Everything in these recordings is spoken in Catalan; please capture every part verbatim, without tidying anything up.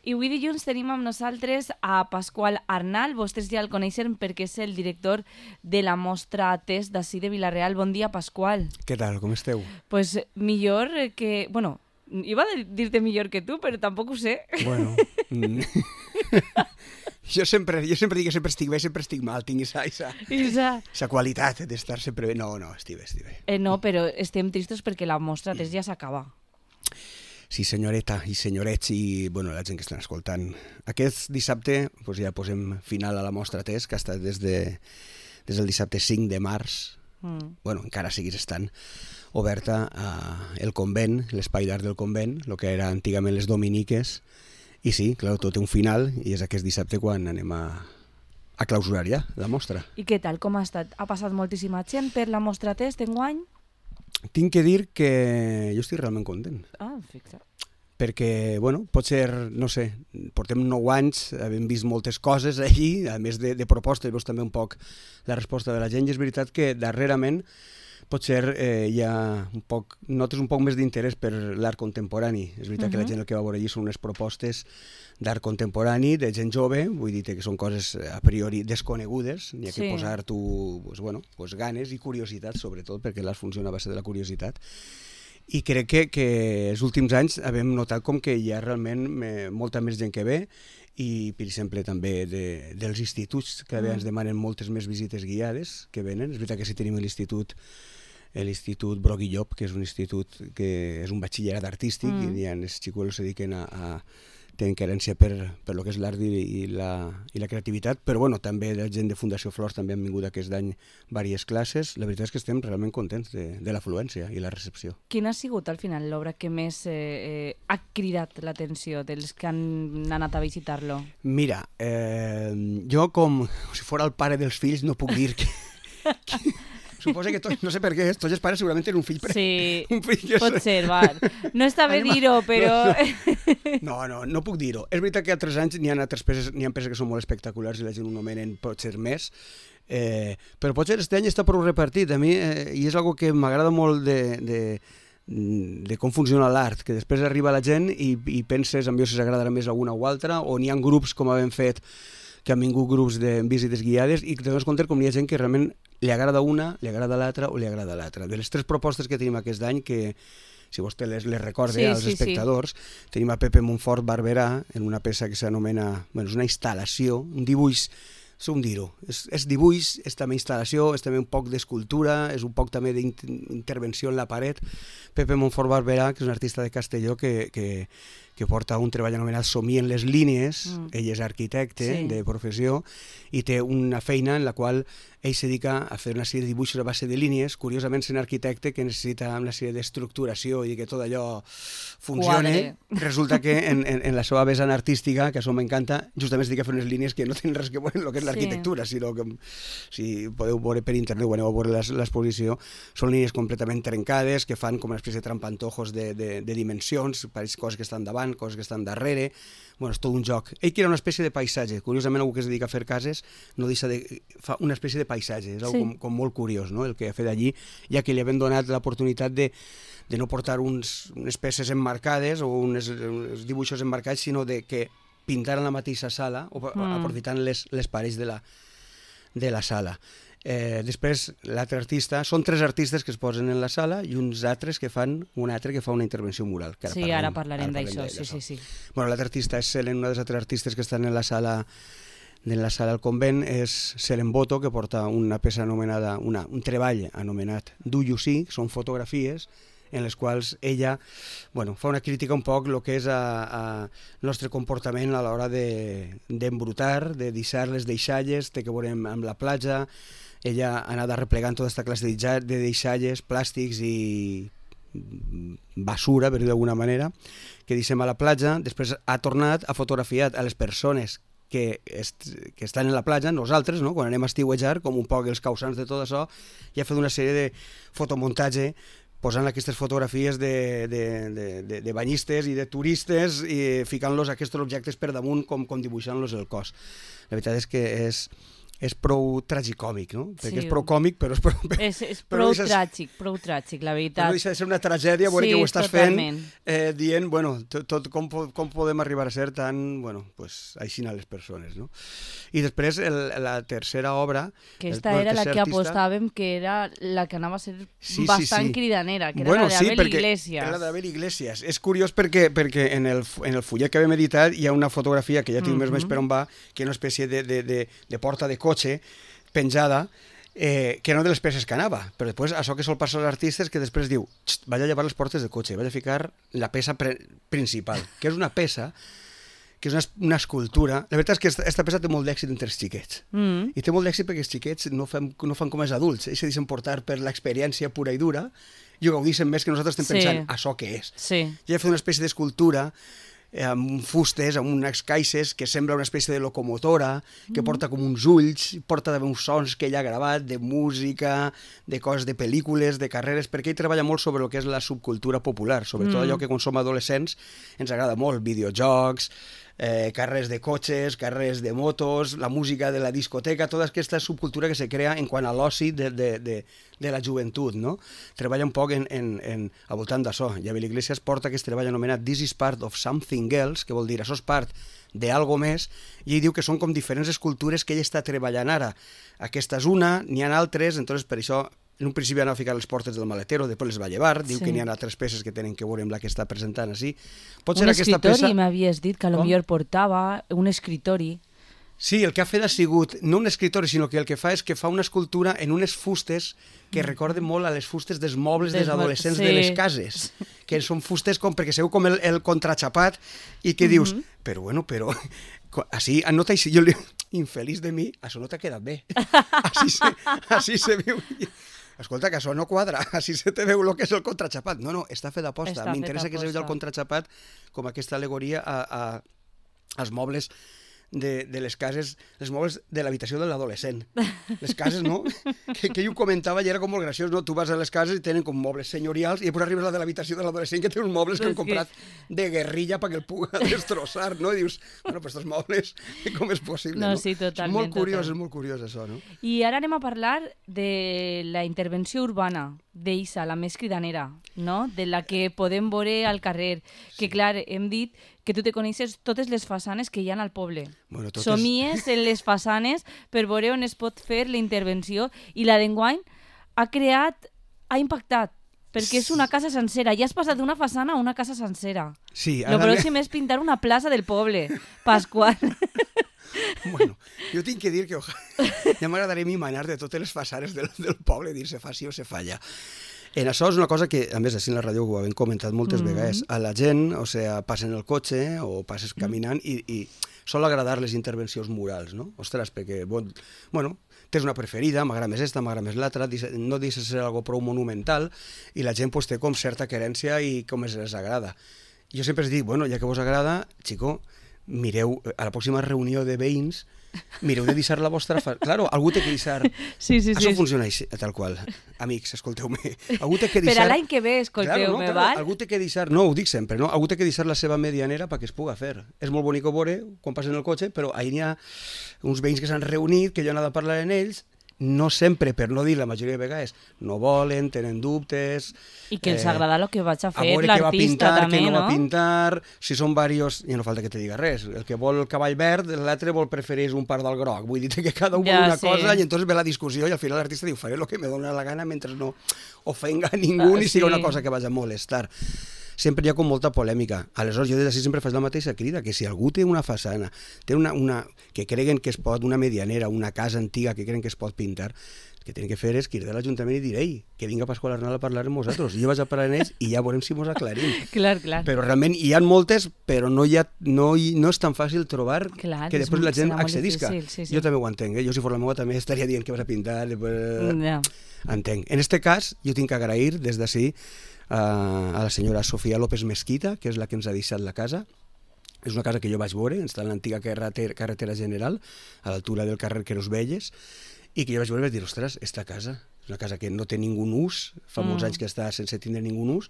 I avui dilluns tenim amb nosaltres a Pasqual Arnal. Vostès ja el coneixen perquè és el director de la mostra Test d'ací de Vila-real. Bon dia, Pasqual. Què tal, com esteu? Pues millor que... Bueno, iba a dir-te millor que tu, però tampoc ho sé. Bueno... jo, sempre, jo sempre dic que sempre estic bé, sempre estic mal. Tinc esa, esa, Isa. esa qualitat d'estar sempre bé. No, no, estic bé, estic bé. Eh, no, però estem tristos perquè la mostra Test ja s'acaba. Sí, senyoreta i senyorets i bueno, la gent que estan escoltant. Aquest dissabte pues, ja posem final a la mostra Test, que ha estat des, de, des del dissabte cinc de març. Mm. Bueno, encara seguís estant oberta al convent, l'espai d'art del convent, el que era antigament les dominiques. I sí, clar, tot té un final i és aquest dissabte quan anem a, a clausurar ja la mostra. I què tal, com ha estat? Ha passat moltíssima gent per la mostra Test enguany? Tinc que dir que jo estic realment content. Ah, fixa. Perquè, bueno, pot ser, no sé, portem nou anys, hem vist moltes coses allí, a més de, de propostes, veus també un poc la resposta de la gent, i és veritat que darrerament potser eh, hi ha un poc, notes un poc més d'interès per l'art contemporani. És veritat uh-huh. que la gent el que va veure allí són unes propostes d'art contemporani, de gent jove, vull dir que són coses a priori desconegudes, n'hi ha sí. que posar tu pues, bueno, pues, ganes i curiositat, sobretot, perquè l'art funciona a base de la curiositat. I crec que, que els últims anys hem notat com que hi ha realment me, molta més gent que ve, i per exemple també de, dels instituts, que mm. ens demanen moltes més visites guiades que venen. És veritat que si tenim l'institut l'Institut Broc i Llop, que és un institut que és un batxillerat artístic, mm. i els xicuelos se dediquen a, a tenen querència per, per lo que és l'art i, i, la, i la creativitat, però bueno, també la gent de Fundació Flors també han vingut aquest any diverses classes. La veritat és que estem realment contents de, de l'afluència i la recepció. Quina ha sigut al final l'obra que més eh, eh, ha cridat l'atenció dels que han anat a visitar-lo? Mira, eh, jo com si fos el pare dels fills no puc dir que... que... Suposa que tots, no sé per què, tots els pares segurament tenen un fill... Pre... Sí, un fill pot ser, va. No està bé dir-ho, però... No, no, no puc dir-ho. És veritat que altres anys n'hi ha altres peces, n'hi ha peces que són molt espectaculars i la gent ho nomenen potser més, eh, però potser aquest any està prou repartit. A mi, eh, i és algo que m'agrada molt de, de, de com funciona l'art, que després arriba la gent i, i penses en si s'agradarà més alguna o altra, o n'hi ha grups, com havem fet, que han vingut grups de visites guiades i que tenim compte com hi ha gent que realment li agrada una, li agrada l'altra o li agrada l'altra. De les tres propostes que tenim aquest any, que si vostè les, les recorda sí, als sí, espectadors, sí. tenim a Pepe Montfort Barberà en una peça que s'anomena, bueno, és una instal·lació, un dibuix, som dir-ho, és, és dibuix, és també instal·lació, és també un poc d'escultura, és un poc també d'intervenció en la paret. Pepe Montfort Barberà, que és un artista de Castelló que, que, que porta un treball anomenat Somien les línies, mm. ell és arquitecte sí. de professió i té una feina en la qual ell se dedica a fer una sèrie de dibuixos a base de línies, curiosament sent arquitecte que necessita una sèrie d'estructuració i que tot allò funcione. Quadre. Resulta que en, en, en la seva vessant artística, que això m'encanta, justament es dedica a fer unes línies que no tenen res que veure amb el que és l'arquitectura, sí. sinó que si podeu veure per internet o aneu a veure l'exposició, són línies completament trencades que fan com una espècie de trampantojos de, de, de dimensions, pareix coses que estan davant, coses que estan darrere. Bueno, és tot un joc. Ell que era una espècie de paisatge. Curiosament, algú que es dedica a fer cases no deixa de... fa una espècie de paisatge. És sí. com, com molt curiós, no?, el que ha fet allí, ja que li havien donat l'oportunitat de, de no portar uns, unes peces emmarcades o uns, uns dibuixos emmarcats, sinó de que pintaran la mateixa sala, o mm. aprofitant les, les parets de la, de la sala. Eh, després, l'altre artista, són tres artistes que es posen en la sala i uns altres que fan, un altre que fa una intervenció mural. Que ara sí, parlarem, ara parlarem, parlarem d'això, sí, sí, sí. Bueno, l'altre artista és Selen, una dels altres artistes que estan en la sala en la sala del convent és Selen Boto, que porta una peça anomenada, una, un treball anomenat Do You See, són fotografies en les quals ella bueno, fa una crítica un poc el que és el nostre comportament a l'hora d'embrutar, de, de deixar les deixalles, té que veure amb, amb la platja. Ella ha anat replegant tota aquesta classe de deixalles, plàstics i basura, per dir d'alguna manera, que deixem a la platja. Després ha tornat, ha fotografiat a les persones que, est que estan en la platja, nosaltres, no? Quan anem a estiuejar, com un poc els causants de tot això, i ha fet una sèrie de fotomuntatge posant aquestes fotografies de, de, de, de, de banyistes i de turistes i ficant-los aquests objectes per damunt com, com dibuixant-los el cos. La veritat és que és, és prou tragicòmic, no? Perquè Sí. és prou còmic, però és prou... És, és però prou no deixa- tràgic, prou tràgic, la Però veritat. no deixa de ser una tragèdia veure Sí, que ho estàs totalment. fent eh, dient, bueno, tot, tot com, po- com podem arribar a ser tan, bueno, pues, així a les persones, no? I després el, la tercera obra... Que el- esta bueno, el era la tercer que artista- apostàvem que era la que anava a ser Sí, sí, bastant sí. cridanera, que era Bueno, la sí, d'Abel perquè Iglesias. Era la d'Abel Iglesias. És curiós perquè, perquè en, el, en el fullet que vam editar hi ha una fotografia que ja tinc més o menys per on va, que és una espècie de, de, de, de porta de cotxe penjada, eh, que no de les peces que anava, però després això que sol passar als artistes que després diu, "Xt, vaig a llevar les portes de cotxe, vaig a ficar la peça pre principal, que és una peça que és una, una escultura. La veritat és que esta, esta peça té molt d'èxit entre els xiquets. Mm. I té molt d'èxit perquè els xiquets no fan, no fan com els adults, ells se deixen portar per l'experiència pura i dura i ho gaudeixen més que nosaltres estem Sí. pensant, això què és? Sí. Ja he fet una espècie d'escultura eh, amb fustes, amb unes caixes que sembla una espècie de locomotora, que porta com uns ulls, porta també uns sons que ell ha gravat, de música, de coses de pel·lícules, de carreres, perquè ell treballa molt sobre el que és la subcultura popular, sobretot Mm. allò que quan som adolescents ens agrada molt, videojocs, eh, carrers de cotxes, carrers de motos, la música de la discoteca, tota aquesta subcultura que se crea en quant a l'oci de, de, de, de la joventut, no? Treballa un poc en, en, en, al voltant d'això. I Abel Iglesias porta aquest treball anomenat This is part of something else, que vol dir això és part d'algo més, i ell diu que són com diferents escultures que ell està treballant ara. Aquesta és una, n'hi ha altres, entonces per això en un principi anava a ficar les portes del maletero, després les va llevar, diu Sí. que n'hi ha altres peces que tenen que veure amb la que està presentant així. Pot Un ser aquesta escritori, peça... m'havies dit, que a lo Com? millor portava un escritori. Sí, el que ha fet ha sigut, no un escritori, sinó que el que fa és que fa una escultura en unes fustes que recorden molt a les fustes dels mobles Des dels adolescents sí. de les cases, que són fustes com, perquè seu com el, el contraxapat, i que dius, però bueno, però, co- així, nota així, jo li infeliç de mi, això no t'ha quedat bé. Així se, així se viu. Escolta, que això no quadra, així se te veu el que és el contraxapat. No, no, està fet d'aposta. Està M'interessa fet que se vegi el aposta. contraxapat com aquesta alegoria a, a, als mobles de, de les cases, els mobles de l'habitació de l'adolescent. Les cases, no? Que, que ell ho comentava i era com molt graciós, no? Tu vas a les cases i tenen com mobles senyorials i després arribes a la de l'habitació de l'adolescent que té uns mobles que han És que- comprat de guerrilla perquè el puga destrossar, no? I dius, bueno, però estos mobles, com és possible, No, no? sí, totalment, És molt curiós, total. és molt curiós això, no? I ara anem a parlar de la intervenció urbana d'Issa, la més cridanera, no? De la que podem veure al carrer. Que, clar, hem dit que tu te coneixes totes les façanes que hi ha al poble. Bueno, totes- Somies en les façanes per veure on es pot fer la intervenció. I la d'enguany ha creat, ha impactat, perquè és una casa sencera. Ja has passat d'una façana a una casa sencera. Sí, Lo ara... pròxim és pintar una plaça del poble, Pasqual. Bueno, jo tinc que dir que oja... ja m'agradaria a mi manar de totes les façanes del, del poble, dir se fa sí o se falla. En això és una cosa que, a més, així en la ràdio ho hem comentat moltes mm. vegades, a la gent, o sigui, passen el cotxe o passes caminant i, i sol agradar les intervencions murals, no? Ostres, perquè, bon, bueno, tens una preferida, m'agrada més esta, m'agrada més l'altra, no deixa de ser algo prou monumental i la gent pues, té com certa querència i com es les agrada. Jo sempre es dic, bueno, ja que vos agrada, xico, mireu, a la pròxima reunió de veïns, mireu de deixar la vostra... Fa... Claro, algú té que deixar... Sí, sí, sí. Això funciona així, tal qual. Amics, escolteu-me. Algú té que Per deixar... a l'any que ve, escolteu-me, claro, no, val? Algú té que deixar... No, ho dic sempre, no? Algú té que deixar la seva medianera perquè es puga fer. És molt bonic veure quan passen el cotxe, però ahir n'hi ha uns veïns que s'han reunit, que jo he anat a parlar amb ells, no sempre, per no dir la majoria de vegades, no volen, tenen dubtes... I que els agrada el que vaig a a fer veure què va l'artista pintar, també, què no, no? va pintar, si són diversos, ja no falta que te diga res, el que vol el cavall verd, l'altre vol preferir un part del groc, vull dir que cada un Ja, vol una sí. cosa i entonces ve la discussió i al final l'artista diu, faré el que me dóna la gana mentre no ofenga a ningú Ah, ni siga sí. una cosa que vagi a molestar. Sempre hi ha com molta polèmica. Aleshores, jo des d'ací sempre faig la mateixa crida, que si algú té una façana, té una, una, que creguen que es pot, una medianera, una casa antiga que creen que es pot pintar, el que tenen que fer és cridar a l'Ajuntament i dir, ei, que vinga Pasqual Arnal a parlar amb nosaltres. Jo vaig a parlar amb ells i ja veurem si mos aclarim. Clar, clar. Però realment hi ha moltes, però no, hi ha, no, hi, no és tan fàcil trobar Clar, que és després molt- la gent serà molt accedisca. difícil, sí, sí. Jo també ho entenc, eh? Jo si fos la meva també estaria dient que vas a pintar. Després... Ja. Entenc. En este cas, jo tinc que agrair des d'ací a, a la senyora Sofia López Mesquita, que és la que ens ha deixat la casa. És una casa que jo vaig veure, està en l'antiga carretera, carretera general, a l'altura del carrer Queros Velles, i que jo vaig veure i vaig dir, ostres, esta casa és una casa que no té ningú ús, fa Mm. molts anys que està sense tindre ningú ús,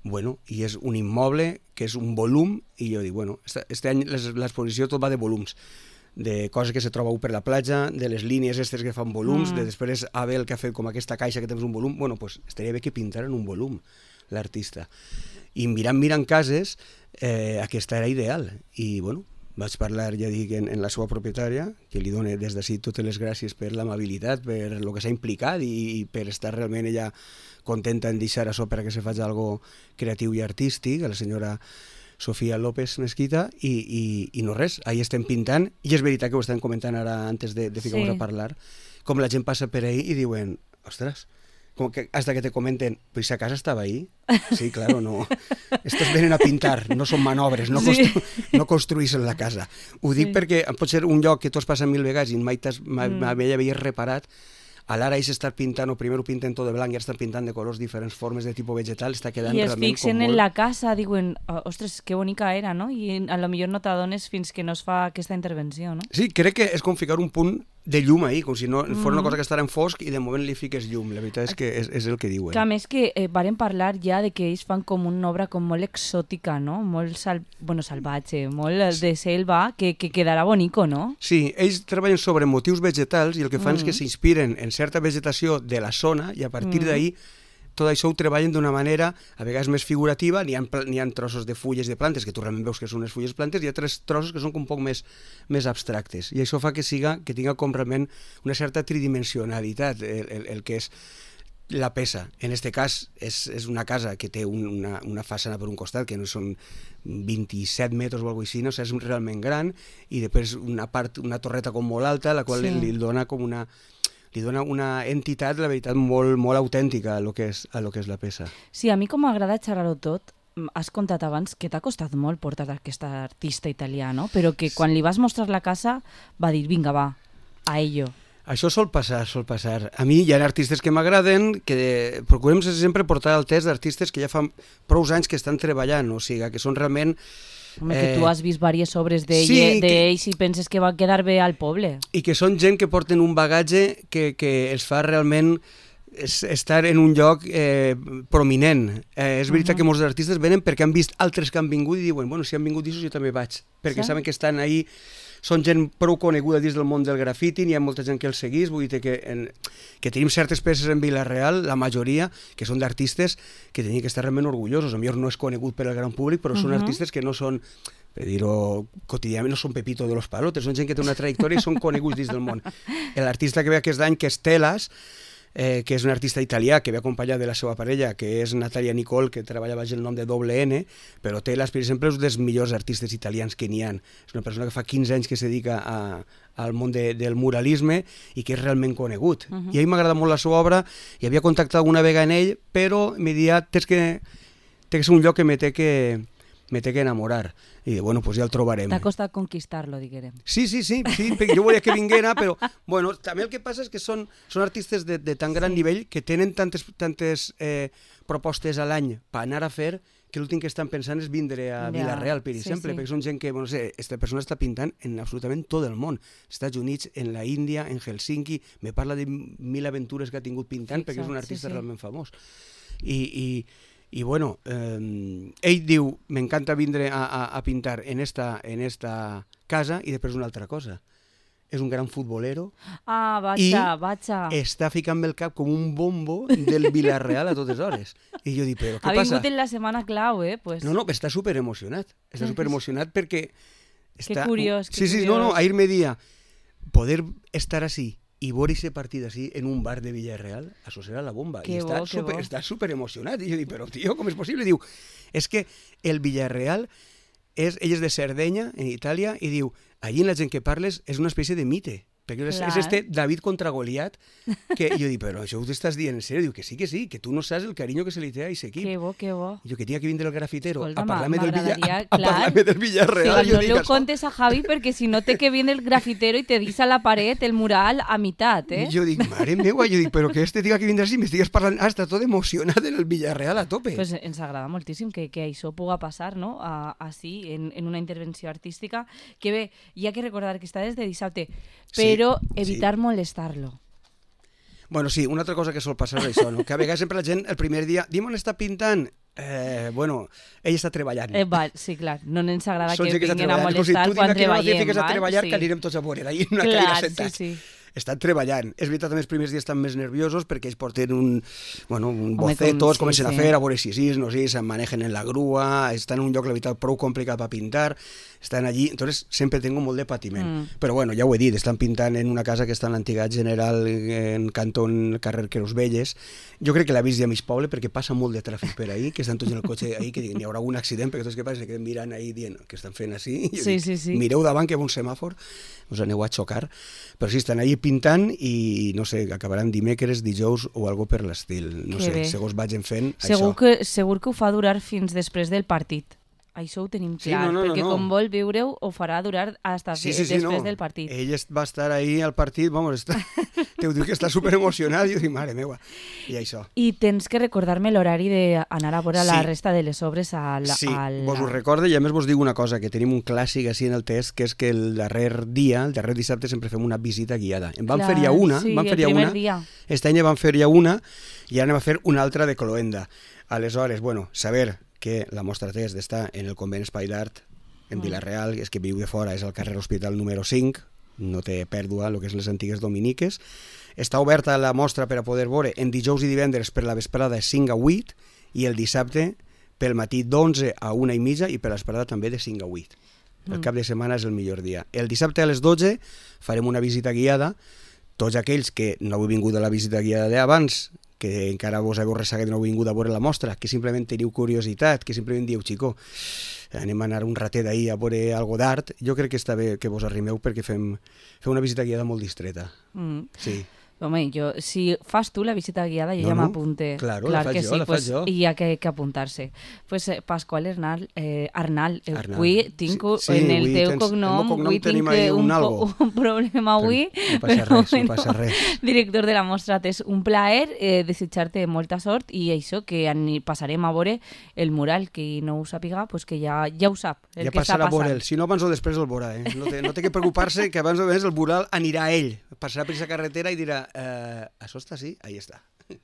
bueno, i és un immoble que és un volum, i jo dic, bueno, este, este any les- l'exposició tot va de volums, de coses que se troba per la platja, de les línies aquestes que fan volums, Mm. de després Abel que ha fet com aquesta caixa que tens un volum, bueno, pues estaria bé que pintaren un volum l'artista. I mirant, mirant cases, eh, aquesta era ideal. I, bueno, vaig parlar, ja dic, en, en la seva propietària, que li dono des d'ací totes les gràcies per l'amabilitat, per el que s'ha implicat i, i per estar realment ella contenta en deixar això per a que se faci algo creatiu i artístic, a la senyora Sofia López Mesquita, i, i, i no res, ahí estem pintant, i és veritat que ho estem comentant ara antes de, de ficar-nos Sí. a parlar, com la gent passa per ahí i diuen, ostres, com que hasta que te comenten, però si a casa estava ahí? Sí, claro, no. Estos venen a pintar, no són manobres, no, Sí. constru no construïssin la casa. Ho dic Sí. perquè pot ser un lloc que tu has passat mil vegades i mai, mai, Mm. mai havies reparat. A l'ara ells estan pintant, o primer ho pinten tot de blanc i ara estan pintant de colors diferents, formes de tipus vegetal, està quedant I es realment fixen com en molt... la casa, diuen, "Oh, ostres, que bonica era, no? I a lo millor no t'adones fins que no es fa aquesta intervenció, no? Sí, crec que és com ficar un punt de llum ahí, com si no fos una Mhm. cosa que estarà en fosc i de moment li fiques llum. La veritat és que és, és el que diuen. Que a més que eh, varen parlar ja de que ells fan com una obra com molt exòtica, no? Molt sal... bueno, salvatge, molt de selva, que, que quedarà bonico, no? Sí, ells treballen sobre motius vegetals i el que fan Mm. és que s'inspiren en certa vegetació de la zona i a partir Mm. d'ahí tot això ho treballen d'una manera a vegades més figurativa, n'hi ha, pla- n'hi ha trossos de fulles de plantes que tu realment veus que són les fulles plantes i hi ha tres trossos que són com un poc més, més abstractes i això fa que siga que tinga com realment una certa tridimensionalitat el, el, el que és la peça. En este cas és, és una casa que té un, una, una façana per un costat que no són vint-i-set metres o alguna cosa així, no? O sigui, és realment gran i després una part, una torreta com molt alta la qual Sí. li, li dona com una li dona una entitat, la veritat, molt, molt autèntica a lo que és, a lo que és la peça. Sí, a mi com m'agrada xerrar-ho tot, mm, has contat abans que t'ha costat molt portar aquest artista italià, no? Però que quan li vas mostrar la casa va dir, vinga, va, a ello. Això sol passar, sol passar. A mi hi ha artistes que m'agraden, que procurem sempre portar el test d'artistes que ja fa prou anys que estan treballant, o sigui, que són realment... Home, que tu Eh, has vist diverses obres d'ells sí, sí, que- i penses que va quedar bé al poble. I que són gent que porten un bagatge que, que els fa realment es, estar en un lloc eh, prominent. Eh, és veritat uh -huh. que molts artistes venen perquè han vist altres que han vingut i diuen, bueno, si han vingut d'això jo també vaig, perquè Sí. saben que estan ahí, són gent prou coneguda dins del món del grafiti, hi ha molta gent que els seguís, vull dir que, en, que tenim certes peces en Vila-real, la majoria, que són d'artistes que tenien que estar realment orgullosos. A millor no és conegut per al gran públic, però uh -huh. són artistes que no són, per dir-ho quotidianament, no són Pepito de los Palotes, són gent que té una trajectòria i són coneguts dins del món. L'artista que ve aquest any, que és Telas, eh, que és un artista italià que ve acompanyat de la seva parella, que és Natalia Nicole, que treballa baix el nom de doble N, però Telas, per exemple, és un dels millors artistes italians que n'hi ha. És una persona que fa quinze anys que se dedica a, al món de, del muralisme i que és realment conegut. Uh -huh. I a mi m'agrada molt la seva obra, i havia contactat alguna vegada amb ell, però m'he dit, tens que, té que ser un lloc que me té que, me té que enamorar. I bueno, pues ja el trobarem. T'ha costat conquistar-lo, diguem. Sí, sí, sí, sí, perquè jo volia que vinguera, però bueno, també el que passa és que són, són artistes de, de tan gran Sí. nivell que tenen tantes, tantes eh, propostes a l'any per anar a fer que l'últim que estan pensant és vindre a Ja, Vila-real, per sí, exemple, sí. perquè són gent que, bueno, no sé, esta persona està pintant en absolutament tot el món. Estats Units, en la Índia, en Helsinki, me parla de mil aventures que ha tingut pintant perquè és un Fixa't, sí, artista sí. realment famós. I, i, i bueno, eh, ell diu, m'encanta vindre a, a, a pintar en esta, en esta casa, i després una altra cosa. És un gran futbolero, Ah, I vaja, vaja. està ficant el cap com un bombo del Vila-real a totes hores. I jo dic, però què Ha passa? vingut en la setmana clau, eh? Pues... No, no, està super emocionat. Està super emocionat perquè... Està... curiós, que Sí, sí, no, no, curiós. ahir me dia poder estar així i veure aquest partit així en un bar de Villarreal, això serà la bomba. Que I està bo, que super, bo. està super emocionat. I jo dic, però tio, com és possible? Diu, és que el Villarreal, és, ell és de Sardenya, en Itàlia, i diu, allí la gent que parles és una espècie de mite. Perquè és, Clar. és este David contra Goliat, que jo dic, però això ho t'estàs dient en sèrio? Diu que sí, que sí, que tu no saps el carinyo que se li té a aquest equip. Que bo, que bo. Jo que tenia que vindre el grafitero Escolta, a parlar-me del, Villa, m'agradaria, a, a clar. parlar del Villarreal. Sí, jo no dic, le ho això- contes a Javi perquè si no té que viene el grafitero i te deixa la paret, el mural, a meitat, eh? I jo dic, mare meua, jo dic, però que este tinga que vindre així, m'estigues parlant, ah, està tot emocionat en el Villarreal a tope. Pues ens agrada moltíssim que, que això puga passar, no? A, així, en, en una intervenció artística. Que bé, hi ha que recordar que està des de dissabte, però Sí, evitar sí. molestar-lo. Bueno, sí, una altra cosa que sol passar és això, no? Que a vegades sempre la gent el primer dia, dim on està pintant, Eh, bueno, ell està treballant. Eh, va, sí, clar, no ens agrada Són que gent que està vinguin a treballant. Com si molestar tu quan dime que no la treballem. fiques a val? treballar, Sí. que anirem tots a veure, d'ahir en una Clar, cadira sí, sentats. sí. Estan treballant. És veritat, també els primers dies estan més nerviosos perquè ells porten un, bueno, un Home, bocetos, com- sí, comencen a sí. fer, a veure si sí, no sé, se'n manejen en la grua, estan en un lloc, la veritat, prou complicat per pintar, estan allí, entonces sempre tengo molt de patiment. Mm. Però bueno, ja ho he dit, estan pintant en una casa que està en l'antiga General en Cantón, carrer Queros Velles. Jo crec que l'ha vist ja a mig poble perquè passa molt de tràfic per ahí, que estan tots en el cotxe ahí, que diuen, hi haurà algun accident, perquè tots que passa, que queden mirant ahí dient que estan fent així. Jo Sí, dic, sí, sí. Mireu davant que hi ha un semàfor, us aneu a xocar. Però sí, estan allí pintant i, no sé, acabaran dimecres, dijous o algo per l'estil. No Que sé, bé. segons vagin fent, Segur això. que, segur que ho fa durar fins després del partit. Això ho tenim Sí, clar, no, no, no, perquè no. com vol viure-ho, ho farà durar hasta Sí, fi- sí, sí, després no. del partit. Ell est- va estar ahí al partit, vamos, està, te ho dic que està super emocionat, i jo dic, mare meva, i això. I tens que recordar-me l'horari d'anar a veure Sí. la resta de les obres a la... Sí, a la... vos ho recorde i a més vos dic una cosa, que tenim un clàssic així en el test, que és que el darrer dia, el darrer dissabte, sempre fem una visita guiada. En van Clar, fer ja una, sí, van fer el ja primer una, dia. este any en van fer ja una, i ara anem a fer una altra de Cloenda. Aleshores, bueno, saber que la mostra test està en el convent Espai d'Art, en Mm. Vila-real, és que viu de fora, és al carrer Hospital número cinc, no té pèrdua, el que és les antigues dominiques. Està oberta la mostra per a poder veure en dijous i divendres per la vesprada de cinc a vuit i el dissabte pel matí d'onze a una i mitja i per la vesprada també de cinc a vuit. El Mm. cap de setmana és el millor dia. El dissabte a les dotze farem una visita guiada. Tots aquells que no heu vingut a la visita guiada d'abans, que encara vos heu resseguit i no heu vingut a veure la mostra, que simplement teniu curiositat, que simplement dieu, xico, anem a anar un ratet ahir a veure algo d'art, jo crec que està bé que vos arrimeu perquè fem, fem una visita guiada molt distreta. Mm. Sí. Home, jo, si fas tu la visita guiada, jo No, ja no. m'apunte. Claro, Clar la faig que jo, sí, la faig pues, jo. I hi ha que, que apuntar-se. Pues, eh, Pasqual Arnal, eh, Arnal, eh, Arnal. avui tinc Sí, sí, en el avui teu tens- cognom, el meu cognom avui tenim tinc ahí eh, un un, algo. po- un problema avui, No passa però res, no passa res. director de la mostra, és un plaer eh, desitjar-te molta sort i això, que ani- passarem a veure el mural, que no ho sàpiga, pues que ja, ja ho sap, el Ja que està passarà a passant. veure'l. Si no, abans o després el veurà. Eh? No, té, no té que preocupar-se que abans o després el mural anirà a ell. Passarà per aquesta carretera i dirà, eh, això està així, ahí està.